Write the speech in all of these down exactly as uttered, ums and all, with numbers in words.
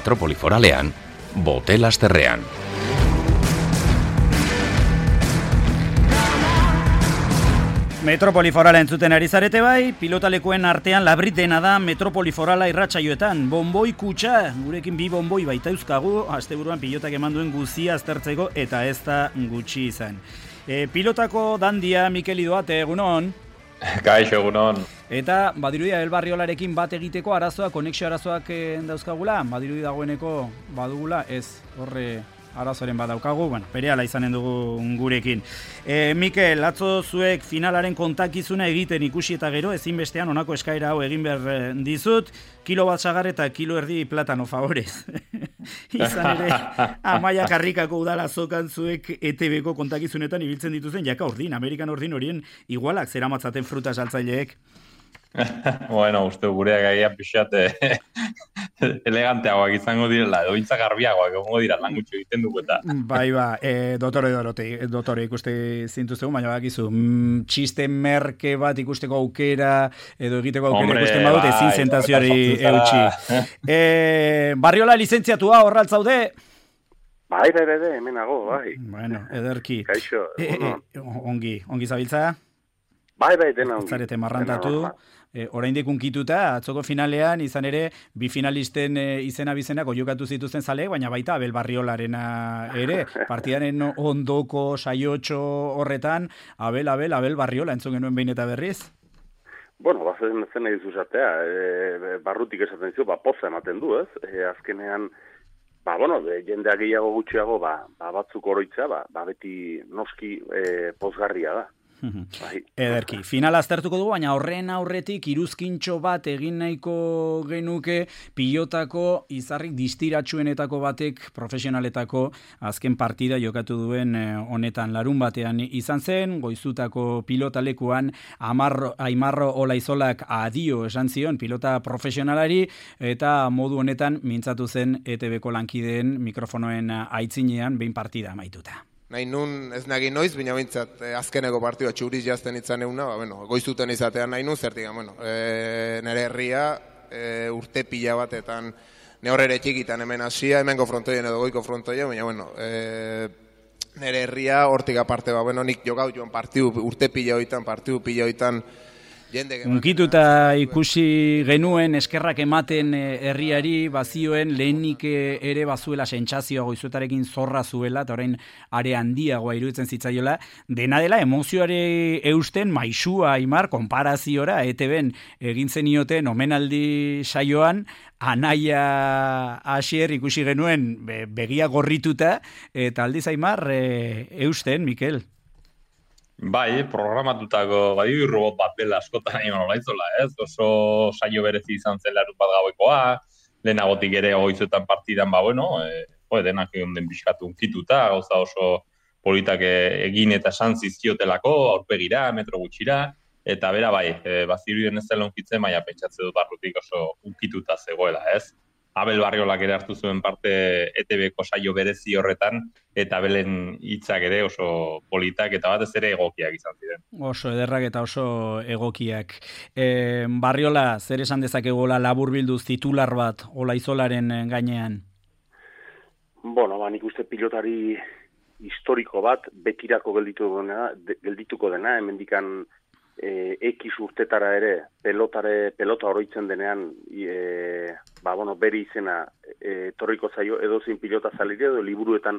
Metropoli Foralean, Bote-Lasterrean. Metropoli Forala entzuten ari zarete bai, pilotalekuen artean labrit dena da Metropoli Forala irratsaioetan. Bonboi kutxa, gurekin bi bonboi baita euskagu, asteburuan pilotak eman duen guzia aztertzeko eta ez da gutxi izan. E, pilotako dandia Mikel Idoate, egunon? Kaixo, egunon. Eta badirudia El Barriolarekin bat egiteko arazoak, konexio arazoak dauzkagula, badirudi dagoeneko badugula, ez horre arazoaren badaukagu, bueno, berehala izanen dugu gurekin. E, Mikel, atzo zuek finalaren kontakizuna egiten ikusi eta gero, ezinbestean honako eskaera hau egin behar dizut, kilo bat sagar eta kilo erdi platano favorez. Izan ere, Amaia Karrikako udala zokan zuek E T Bko kontakizunetan ibiltzen dituzen, jaka ordin, Amerikan ordin horien igualak zeramatzaten fruta saltzaileek. Bueno, uste gureak agian pixat eleganteagoak izango direla, edo intza garbiagoak egongo dira lan gutxo egiten dugu eta. Bai, ba, e, dotore dorote, dotore ikuste zintuztegu, baina bakizu, mm, txiste merke bat ikusteko aukera, edo egiteko aukera Hombre, ikusten badut, ezin bai, zentazioari eta eutxi. E, Barriola lizentziatua horraltzaude? Bai, bai, bai, hemenago, bai. Bueno, ederki. Kaixo, e, e, ongi, ongi zabiltza? Bai, bai, dena ongi. Zarete marrantatu. E, oraindik unkituta, atzoko finalean, izan ere, bi finalisten e, izena bizenak oiokatu zituzten zaleek, baina baita Abel Barriolarena ere, partidaren ondoko saiotxo horretan, Abel, Abel, Abel Barriola, entzun genuen behin eta berriz? Bueno, bazen zen nahi duzu esatea, e, barrutik esaten zu, ba, poza ematen du, ez? E, azkenean, ba, bueno, de, jendea gehiago gutxiago, ba, ba batzuk oroitza, ba, ba beti noski e, pozgarria da. Bai. Ederki, finala aztertuko dugu, baina horren aurretik iruzkintxo bat egin nahiko genuke pilotako izarrik distiratsuenetako batek profesionaletako azken partida jokatu duen honetan larun batean izan zen, goizutako pilotalekuan Amarro, Aimarro Olaizolak adio esan zion pilota profesionalari eta modu honetan mintzatu zen E T Bko lankideen mikrofonoen aitzinean behin partida amaituta. Nahi nun ez nagin noiz, baina bintzat eh, azkeneko partidua txuriz jazten itzan euna, ba, bueno, goizuten izatean nahi nun, zertik, bueno, e, nire herria e, urte pila batetan, ne horre txikitan hemen hasia, hemengo frontoien edo goiko frontoien, baina, bueno, e, nire herria hortik aparte, ba, bueno, nik jokau joan partiu, urte pila hoitan, partiu pila hoitan, unkituta ikusi genuen eskerrak ematen herriari bazioen lehenik ere bazuela sentsazioa goizuetarekin zorra zuela eta orain are handiagoa iruditzen zitzaiola, dena dela emozioare eusten maisua Aimar konparaziora E T Bn egin zenioten omenaldi saioan Anaia Asier ikusi genuen begia gorrituta eta aldiz Aimar e, eusten, Mikel. Bai, programatutako bai robot bat dela askotan Aimarro Olaizola, ez? Oso saio berezi izan zen larun bat gauekoa, lehenagotik ere goizuetan partidan, ba, bueno, e, jo, denak egon den pixkatu unkituta, gauza oso politak egin eta esan zizkiotelako, aurpegira, metro gutxira, eta bera bai, e, bazirudien ez dela unkitzen, baina pentsatze dut barrutik oso unkituta zegoela, ez? Abel Barriolak ere hartu zuen parte E T Bko saio berezi horretan, eta Abelen hitzak ere oso politak eta batez ere egokiak izan ziren. Oso ederrak eta oso egokiak. E, Barriola, zer esan dezakegola laburbilduz titular bat Olaizolaren gainean? Bueno, ba, nik uste pilotari historiko bat betirako geldituko dena, de, geldituko dena hemendikan E, ekiz urtetara ere pelotare, pelota oroitzen denean e, ba, bueno, bere izena e, torriko zaio edozein pilota zalire edo liburuetan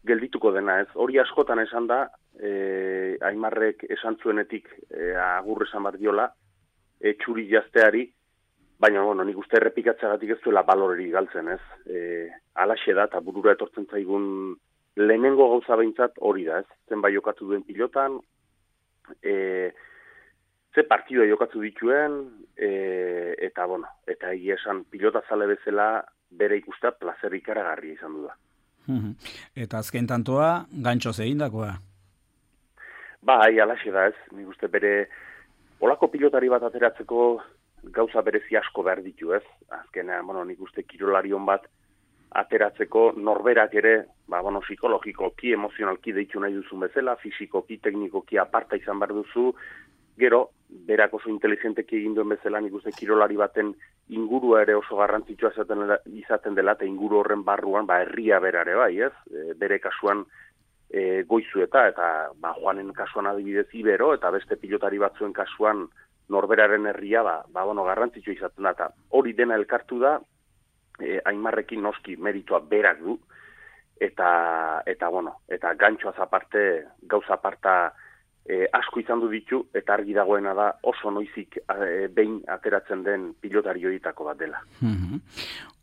geldituko dena, ez? Hori askotan esan da, e, Aimarrek esan zuenetik e, agur esan bat diola, e, txuri jazteari, baina, bueno, nik uste errepikatzagatik ez duela baloreri galtzen, ez? E, alaxe da, eta burura etortzen zaigun lehenengo gauza behintzat hori da, ez? Zenbait jokatu duen pilotan, e, ze partidua jokatu dituen, e, eta, bueno, eta egia esan pilota zale bezala bere ikustea plazer ikaragarria izan du da. Eta azken tantoa, gantxoz egindakoa? Bai, alaxe da ez, nik uste bere, olako pilotari bat ateratzeko gauza berezi asko behar ditu ez, azkenean, bueno, nik uste kirolarion bat ateratzeko norberak ere, ba, bueno, psikologikoki, emozionalki deitu nahi duzun bezala, fisikoki, teknikoki aparta izan behar duzu, Gero, berak oso inteligenteki egin duen bezala, nik uste kirolari baten ingurua ere oso garrantzitsua izaten, izaten dela, eta inguru horren barruan, ba, herria berare bai, ez? E, bere kasuan e, Goizueta, eta ba, Juanen kasuan adibidez Ibero, eta beste pilotari batzuen kasuan norberaren herria, ba, ba bueno, garrantzitsua izaten da, eta hori dena elkartu da, e, Aimarrekin noski meritua berak du, eta, eta bueno, eta gantxoaz aparte, gauza aparta, E, asko izan du ditu, eta argi dagoena da oso noizik e, behin ateratzen den pilotari horietako bat dela. Mm-hmm.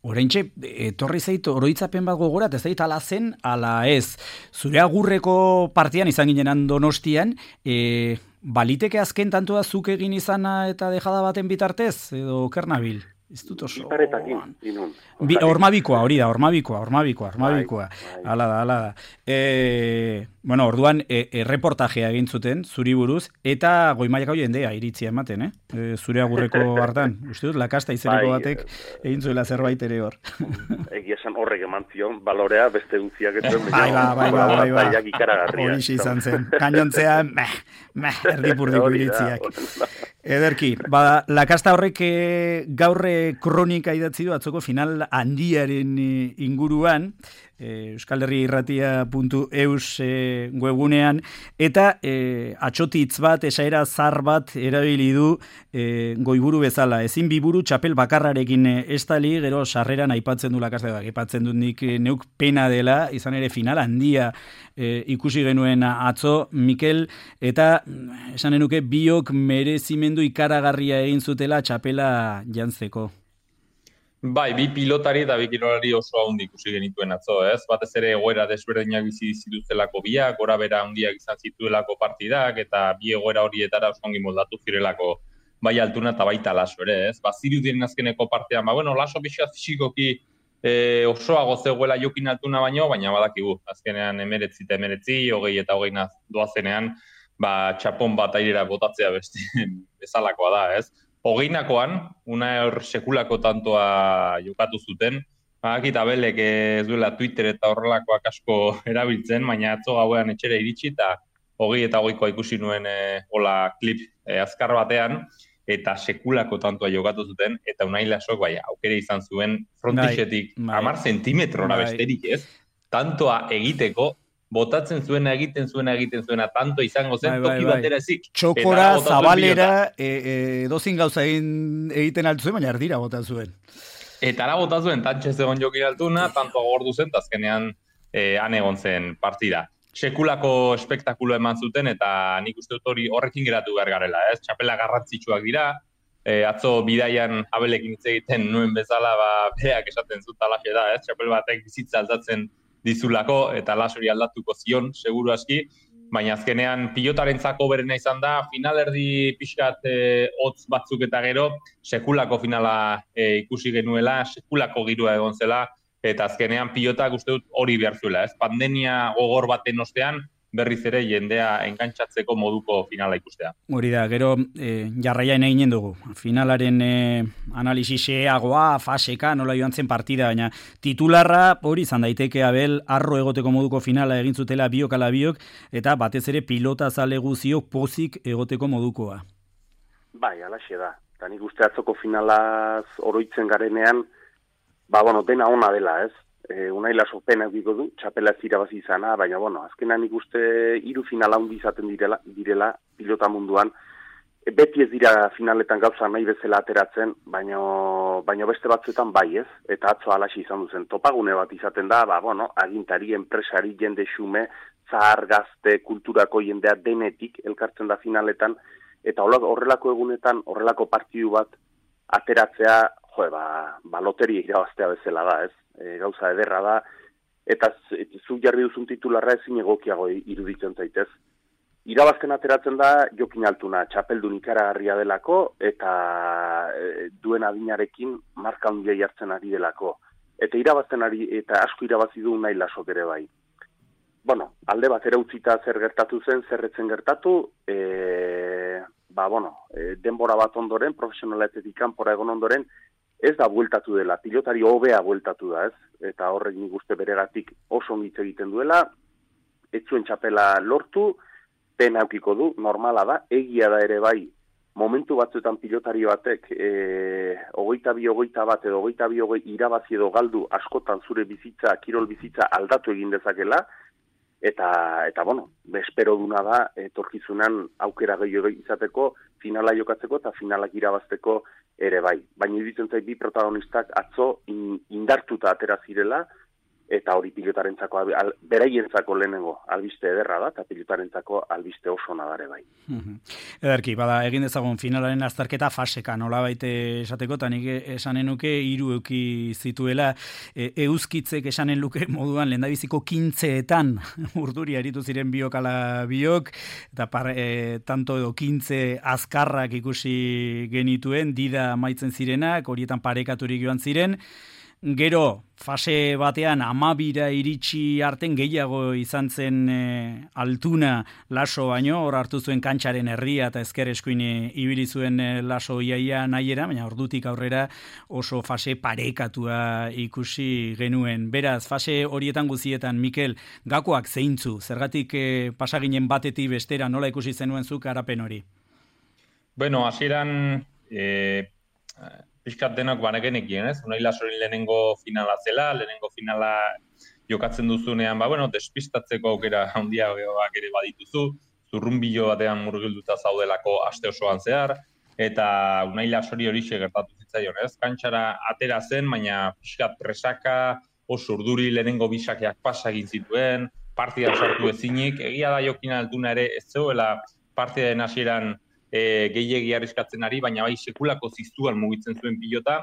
Oraintxe, etorri zait oroitzapen bat gogorat, ez zait ala zen, ala ez. Zure agurreko partian izan ginen Donostian, e, baliteke azken tantua zuk egin izana eta dejada baten bitartez, edo kernabil? Ez dut oso... Iparetakin, inun. Bi, ormabikoa, hori da, ormabikoa, ormabikoa, ormabikoa. Hala da, hala da. E, bueno, orduan, e, e, reportajea egin zuten, zuri buruz, eta goi mailako jendea iritzia ematen, eh? E, zure agurreko hartan. Uste dut, lakasta izeneko batek egin zuela zerbait ere hor. Egia esan horrek eman zion, balorea beste guztiak ez duen. Bai, bai, bai, bai. Hori izan zen. Gainontzean, meh, meh, erdipurdiko iritziak. Ederki, bada, lakasta horrek gaurre kronika idatzi du atzoko final handiaren inguruan, euskal herri irratia puntu eus e, webunean, eta e, atxotitz bat, esaera zar bat erabili du e, goiburu bezala. Ezin biburu txapel bakarrarekin estali, gero sarreran aipatzen du lakasta, aipatzen dut nik neuk pena dela, izan ere final handia e, ikusi genuen atzo, Mikel, eta esan enuke biok merezimendu ikaragarria egin zutela txapela jantzeko. Bai, bi pilotari eta bi kirolari oso handi ikusi genituen atzo, ez? Batez ere egoera desberdinak bizi zituztelako biak, gora bera handiak izan zituelako partidak, eta bi egoera horietara oso ongi moldatu zirelako bai Altuna eta baita Laso ere, ez? Ba, zirudien azkeneko partean, ba, bueno, Laso pixka fisikoki e, osoago zegoela Jokin Altuna baino, baina badakigu, azkenean emeretzi eta emeretzi, hogei eta hogei doazenean, ba, txapon bat airera botatzea beste bezalakoa da, ez? Hogeinakoan, una hor sekulako tantoa jokatu zuten, bakit abelek ez duela Twitter eta horrelakoak asko erabiltzen, baina atzo gauean etxera iritsi eta hogei eta hogeikoa ikusi nuen e, hola klip e, azkar batean, eta sekulako tantoa jokatu zuten, eta Unai Lasok bai, aukere izan zuen frontixetik hamar zentimetrora besterik ez, tantoa egiteko, botatzen zuena, egiten zuena, egiten zuena, tanto izango zen, bai, bai, toki batera ezik. Txokora, zabalera, e, e, dozin gauza egin, egiten altu zuen, baina erdira bota zuen. Eta ara bota zuen, tantxe zegoen Jokin Altuna, tanto agordu zen, eta azkenean e, han egon zen partida. Sekulako espektakulo eman zuten, eta nik uste dut hori horrekin geratu behar garela, ez? Txapela garrantzitsuak dira, e, atzo bidaian abelekin hitz egiten nuen bezala, ba, beak esaten zut alaxe da, ez? Txapel batek bizitza aldatzen dizulako, eta Lasori aldatuko zion, seguru aski, baina azkenean pilotarentzako berena izan da, finalerdi pixkat e, hotz batzuk eta gero, sekulako finala e, ikusi genuela, sekulako girua egon zela, eta azkenean pilotak uste dut hori behar zuela, ez? Pandemia gogor baten ostean, berriz ere jendea enkantzatzeko moduko finala ikustea. Hori da, gero e, jarraian eginen dugu. Finalaren e, analiziseagoa, faseka, nola joan zen partida, baina titularra hori izan daiteke Abel, arro egoteko moduko finala egin zutela biok ala biok, eta batez ere pilota zale guziok pozik egoteko modukoa. Bai, alaxe da. Eta nik uste atzoko finalaz oroitzen garenean, ba, bueno, dena ona dela, ez? E, Unai Laso pena egiko du, txapela ez irabazi izana, baina, bueno, azkenan ikuste hiru finala handi izaten direla, direla pilota munduan. E, beti ez dira finaletan gauza nahi bezala ateratzen, baina, baina beste batzuetan bai ez, eta atzo alaxi izan duzen. Topagune bat izaten da, ba, bueno, agintari, enpresari, jende xume, zahar, gazte, kulturako jendea denetik elkartzen da finaletan, eta horrelako egunetan, horrelako partidu bat ateratzea, jo, ba, ba loteria irabaztea bezala da, ez? E, gauza ederra da, eta zu jarri duzun titularra ezin egokiago iruditzen zaitez. Irabazten ateratzen da Jokin Altuna, txapeldun ikaragarria delako, eta e, duen adinarekin marka handia jartzen ari delako. Eta irabazten ari, eta asko irabazi du Unai Lasok ere bai. Bueno, alde batera utzita zer gertatu zen, zerretzen gertatu, e, ba, bueno, e, denbora bat ondoren, profesionaletetik kanpora egon ondoren, ez da bueltatu dela, pilotari hobea bueltatu da, ez? Eta horrek nik uste beregatik oso ongitze egiten duela, ez zuen txapela lortu, pena aukiko du, normala da, egia da ere bai, momentu batzuetan pilotari batek e, hogeita bi, hogeita bat edo hogeita bi, hogei irabazi edo galdu askotan zure bizitza, kirol bizitza aldatu egin dezakela, eta, eta bueno, espero duna da, etorkizunan aukera gehiago izateko, finala jokatzeko eta finalak irabazteko ere bai. Baina iruditzen zait bi protagonistak atzo indartuta atera zirela, eta hori pilotarentzako, beraientzako lehenengo albiste ederra da, eta pilotarentzako albiste oso nadare bai. Ederki, bada, egin dezagun finalaren azterketa faseka, nola baite esateko, eta nik esanen nuke hiru euki zituela, e, euskitzek esanen luke moduan lehendabiziko kintzeetan urduri aritu ziren biok ala biok, eta par, e, tanto edo kintze azkarrak ikusi genituen, dida maitzen zirenak, horietan parekaturik joan ziren, gero, fase batean amabira iritsi arten gehiago izan zen e, altuna Laso baino, hor hartu zuen kantxaren herria eta ezker eskuin ibili zuen e, Laso iaia nahiera, baina ordutik aurrera oso fase parekatua ikusi genuen. Beraz, fase horietan guzietan, Mikel, gakoak zeintzu, zergatik e, pasaginen batetik bestera nola ikusi zenuen zuk arapen hori? Bueno, hasieran eh, pixkat denok banegenekien, ez? Unai Lasoren lehenengo finala zela, lehenengo finala jokatzen duzunean, ba, bueno, despistatzeko aukera handiagoak ere badituzu, zurrunbilo batean murgilduta zaudelako aste osoan zehar, eta Unai Lasori horixe gertatu zitzaion, ez? Kantxara atera zen, baina pixkat presaka, oso urduri lehenengo bisakeak pasa egin zituen, partida sartu ezinik, egia da Jokin Altuna ere ez zegoela partidaren hasieran E, gehiegi arriskatzen ari, baina bai sekulako ziztuan mugitzen zuen pilota,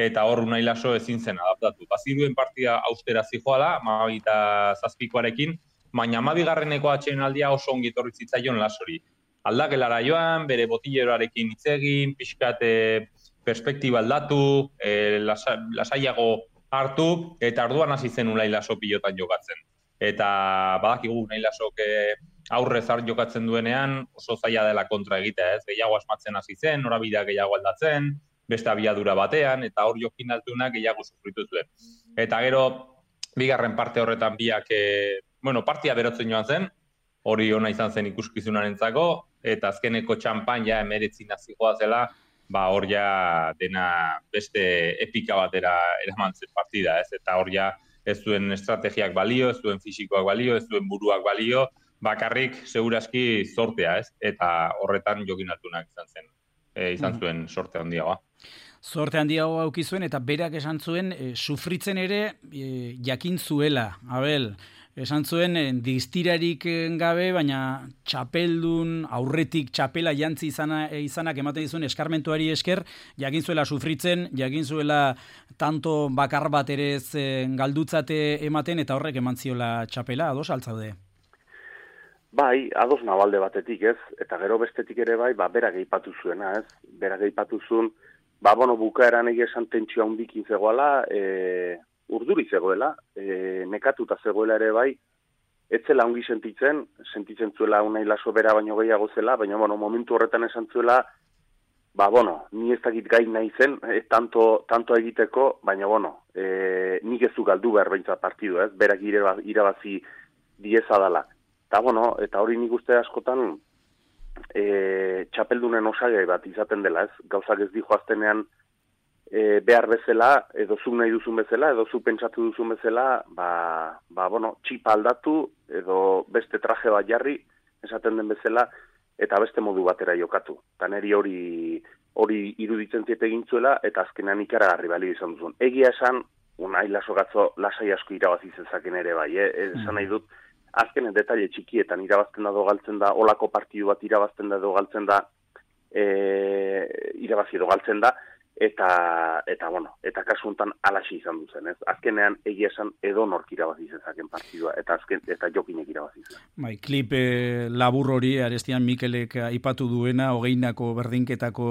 eta hor Unai Laso ezin zen adaptatu. Baziruen partida austera zijoala, amabita zazpikoarekin, baina amabigarreneko atsedenaldia oso ongi etorri zitzaion Lasori. Aldagelara joan, bere botilleroarekin hitz egin, pixkat e, perspektiba aldatu, e, lasa, lasaiago hartu, eta orduan hasi zen Unai Laso pilotan jokatzen. Eta badakigu Unai Lasok aurre zar jokatzen duenean oso zaila dela kontra egitea, ez? Gehiago asmatzen hasi zen, norabidea gehiago aldatzen, beste abiadura batean, eta hor Jokin Altunak gehiago sufritu zuen. Eta gero, bigarren parte horretan biak, e, bueno, partia berotzen joan zen, hori ona izan zen ikuskizunarentzako, eta azkeneko txampan ja emeretzi nazigoa zela, ba hor ja dena beste epika batera eraman zen partida, ez? Eta hor ja ez zuen estrategiak balio, ez zuen fisikoak balio, ez zuen buruak balio, bakarrik segurazki zortea, ez? Eta horretan Jokin Altunak izan zen, e, izan zuen sorte handiagoa. Zorte handiagoa auki zuen eta berak esan zuen e, sufritzen ere e, jakin zuela, Abel. Esan zuen e, distirarik gabe, baina txapeldun aurretik txapela jantzi izana, e, izanak ematen dizuen eskarmentuari esker, jakin zuela sufritzen, jakin zuela tanto bakar bat ere ez e, galdutzate ematen eta horrek eman ziola txapela, ados altzaude? Bai, ados nabalde batetik, ez? Eta gero bestetik ere bai, ba, berak eipatu zuena, ez? Berak eipatu zuen, ba, bueno, bukaeran egia esan tentsioa hundikin zegoela, e, urduri zegoela, e, nekatuta zegoela ere bai, ez zela ongi sentitzen, sentitzen zuela Unai Laso bera baino gehiago zela, baina, bueno, momentu horretan esan zuela, ba, bueno, ni ez dakit gai nahi zen, e, tanto, tanto egiteko, baina, bueno, e, nik ez du galdu behar behintzat partidu, ez? Berak irabazi dieza dala. Eta, bueno, eta hori nik uste askotan e, txapeldunen osagai bat izaten dela, ez? Gauzak ez dijo aztenean e, behar bezala, edo zu nahi duzun bezala, edo zu pentsatu duzun bezala, ba, ba, bueno, txipa aldatu, edo beste traje bat jarri, esaten den bezala, eta beste modu batera jokatu. Eta niri hori, hori iruditzen ziet egin zuela, eta azkenean ikaragarri balio izan duzun. Egia esan, Unai Laso gatzo lasai asko irabazi zezaken ere bai, eh? Esan nahi dut, azkenen detaile txikietan irabazten da edo galtzen da, olako partidu bat irabazten da edo galtzen da, e, irabazi edo galtzen da, eta, eta bueno, eta kasu honetan alaxi izan duzen, ez? Azkenean egia esan edo nork irabazi zezaken partidua, eta azken, eta Jokinek irabazi zen. Bai, klip e, labur hori, Arestian Mikelek aipatu duena, hogeinako berdinketako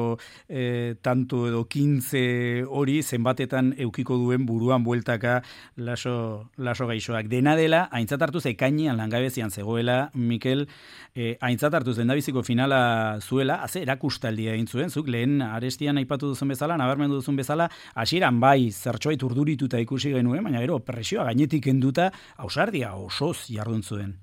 e, tanto edo kintze hori, zenbatetan eukiko duen buruan bueltaka laso, laso gaixoak. Dena dela, aintzat hartuz ekainean langabezian zegoela, Mikel, e, aintzat hartuz dendabiziko finala zuela, haze erakustaldia egin zuen, zuk lehen Arestian aipatu duzun bezala, nabarmendu duzun bezala, hasieran bai zertxoait urdurituta ikusi genuen, baina gero presioa gainetik kenduta ausardia osoz jardun zuen.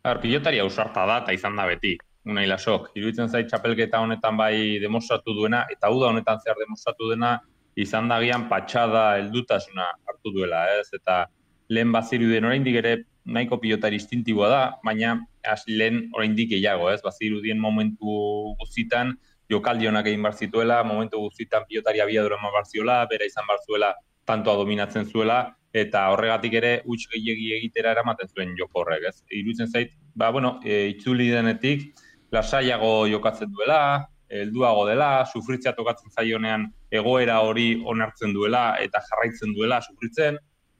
Ar, pilotari ausarta da, eta izan da beti, Unai Lasok. Iruditzen zait txapelketa honetan bai demostratu duena, eta uda honetan zehar demostratu dena, izan dagian patxada heldutasuna hartu duela, ez? Eta lehen bazirudien oraindik ere nahiko pilotari instintiboa da, baina az, lehen oraindik gehiago, ez? Bazirudien momentu guztitan, jokaldi honak egin bar zituela, momentu guztitan pilotari abiadura eman bar ziola, bera izan bar zuela, tantoa dominatzen zuela, eta horregatik ere huts gehiegi egitera eramaten zuen joko horrek, ez? Iruditzen zait, ba, bueno, e, itzuli denetik, lasaiago jokatzen duela, helduago dela, sufritzea tokatzen zaionean egoera hori onartzen duela eta jarraitzen duela sufritzen,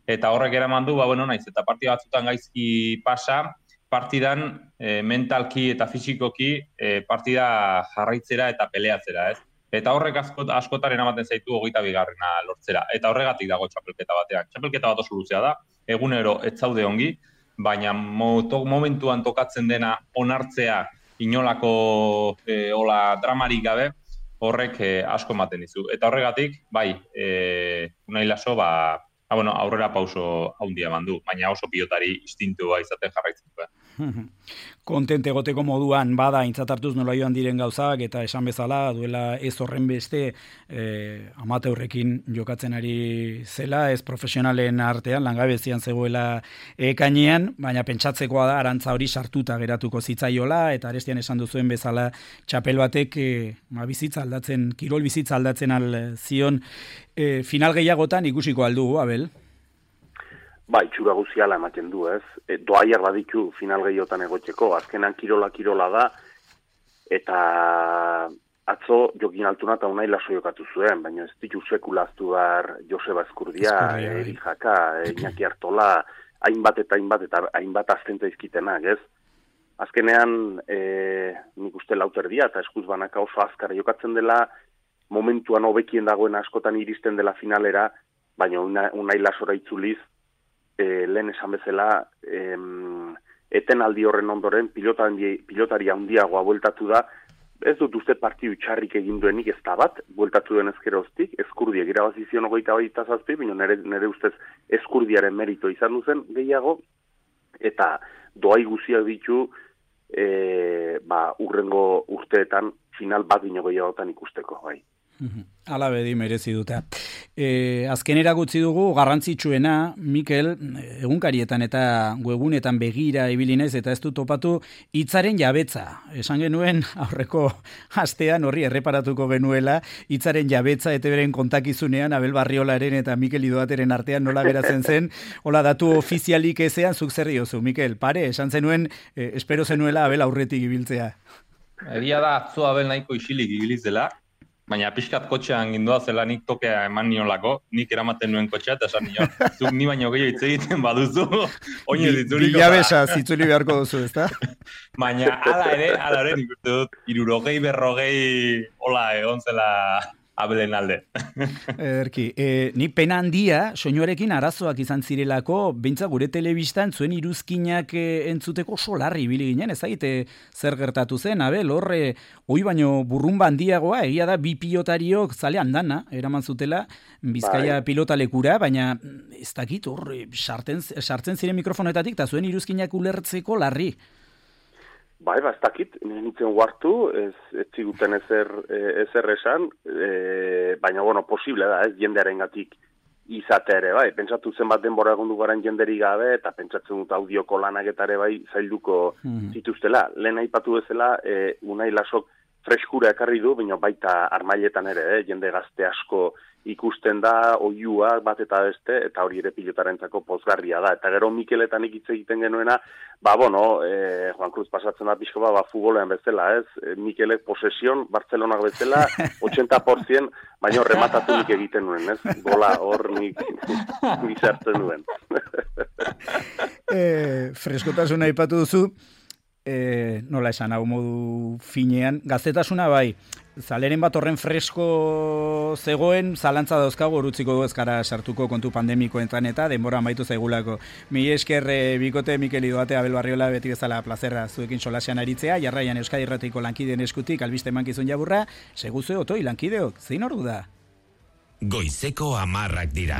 eta horrek eraman du, ba, bueno, naiz, eta partida batzutan gaizki pasa, partidan e, mentalki eta fisikoki e, partida jarraitzera eta peleatzera, ez? Eta horrek askot, askotaren ematen zaitu hogeita bigarrena lortzera. Eta horregatik dago txapelketa batean. Txapelketa bat oso luzea da, egunero ez zaude ongi, baina moto, momentuan tokatzen dena onartzea inolako e, ola dramarik gabe, horrek e, asko ematen dizu. Eta horregatik, bai, e, Unai Laso, ba, ba, bueno, aurrera pauso handia eman du, baina oso pilotari instintua izaten jarraitzen du. Kontent egoteko moduan bada aintzat hartuz nola joan diren gauzak, eta esan bezala duela ez horren beste eh, amateurrekin jokatzen ari zela, ez profesionalen artean, langabezian zegoela ekainean, baina pentsatzekoa da arantza hori sartuta geratuko zitzaiola, eta arestian esan duzuen bezala txapel batek eh, ma bizitza aldatzen, kirol bizitza aldatzen al zion, eh, final gehiagotan ikusiko aldugu, Abel? Ba, itxura guziala ematen du, ez? E, doaiak baditu final gehiotan egotzeko, azkenan kirola kirola da, eta atzo Jokin Altuna eta Unai Laso jokatu zuen, baina ez ditu sekulaztu dar Joseba Eskurdia, Eri Jaka, Iñaki Artola, hainbat eta hainbat eta hainbat aztenta izkitenak, ez? Azkenean, e, nik uste lauterdia eta eskuz banaka oso azkara jokatzen dela, momentuan hobekien dagoen askotan iristen dela finalera, baina Unai Lasora itzuliz, E, lehen esan bezala, em, etenaldi horren ondoren pilotari, pilotari handiagoa bueltatu da, ez dut uste partidu txarrik egin duenik ez da bat, bueltatu den ezkeroztik, Eskurdia irabazizion ogeita baita zazpi, bino nere, nere ustez Eskurdiaren merito izan duzen gehiago, eta doai guziak ditu, e, ba, urrengo urteetan final bat bino gehiagotan ikusteko, bai. Ala bedi merezi dute. E, azkenera gutzi dugu garrantzitsuena, Mikel, egunkarietan eta webunetan begira ibili naiz eta ez du topatu hitzaren jabetza. Esan genuen aurreko astean horri erreparatuko genuela hitzaren jabetza eta beren kontakizunean Abel Barriolaren eta Mikel Idoateren artean nola geratzen zen, hola datu ofizialik ezean zuk zer diozu, Mikel, pare, esan zenuen, eh, espero zenuela Abel aurretik ibiltzea. Egia da atzo Abel nahiko isilik ibiliz dela, baina pixkat kotxean gindua zela nik tokea eman niolako, nik eramaten nuen kotxea, eta esan nion, zuk ni baino gehiago hitz egiten baduzu, oinez ditzuliko. Bilabesa zitzuli beharko duzu, ezta? Baina ala ere, ala ere nik uste dut, irurogei, berrogei, hola egon zela Abelen alde. Erki, e, ni pena handia, soinuarekin arazoak izan zirelako, beintza gure telebistan zuen iruzkinak e, entzuteko solarri ibili ginen, ez zaite zer gertatu zen, Abel, horre, hoi baino burrumba handiagoa, egia da bi pilotariok zale handana, eraman zutela, Bizkaia bai. Pilotalekura, baina ez dakit horre, sartzen, sartzen ziren mikrofonetatik, eta zuen iruzkinak ulertzeko larri. Bai, ba, ez dakit, nintzen huartu, ez, ez ziguten ezer, ezer esan, e, baina, bueno, posible da, ez, jendearen gatik izate ere, bai, pentsatu zenbat denbora egon dugaren jenderi gabe, eta pentsatzen dut audioko lanak eta ere bai zailduko mm. zituztela. Lehen aipatu bezala, e, Unai Lasok freskura ekarri du, baina baita armailetan ere, eh, jende gazte asko ikusten da, oiuak bat eta beste, eta hori ere pilotarentzako pozgarria da. Eta gero Mikeletan hitz egiten genuena, ba, bueno, eh, Juan Cruz pasatzen da pixko ba, ba futbolean bezala, ez? E, Mikelek posesion, Bartzelonak bezala, ochenta por ciento, baina rematatu nik egiten nuen, ez? Gola hor nik bizartzen nuen. e, freskotasuna aipatu duzu, E, nola esan hau modu finean, gaztetasuna bai, zaleren bat horren fresko zegoen, zalantza dauzkago urutziko du ezkara sartuko kontu pandemikoetan eta denbora amaitu zaigulako. Mi esker e, bikote Mikel Idoate, Abel Barriola, beti bezala plazerra zuekin solasean aritzea, jarraian Euskadi Irratiko lankideen eskutik albiste emankizun jaburra, seguzue otoi lankideok, zein ordu da? Goizeko hamarrak dira.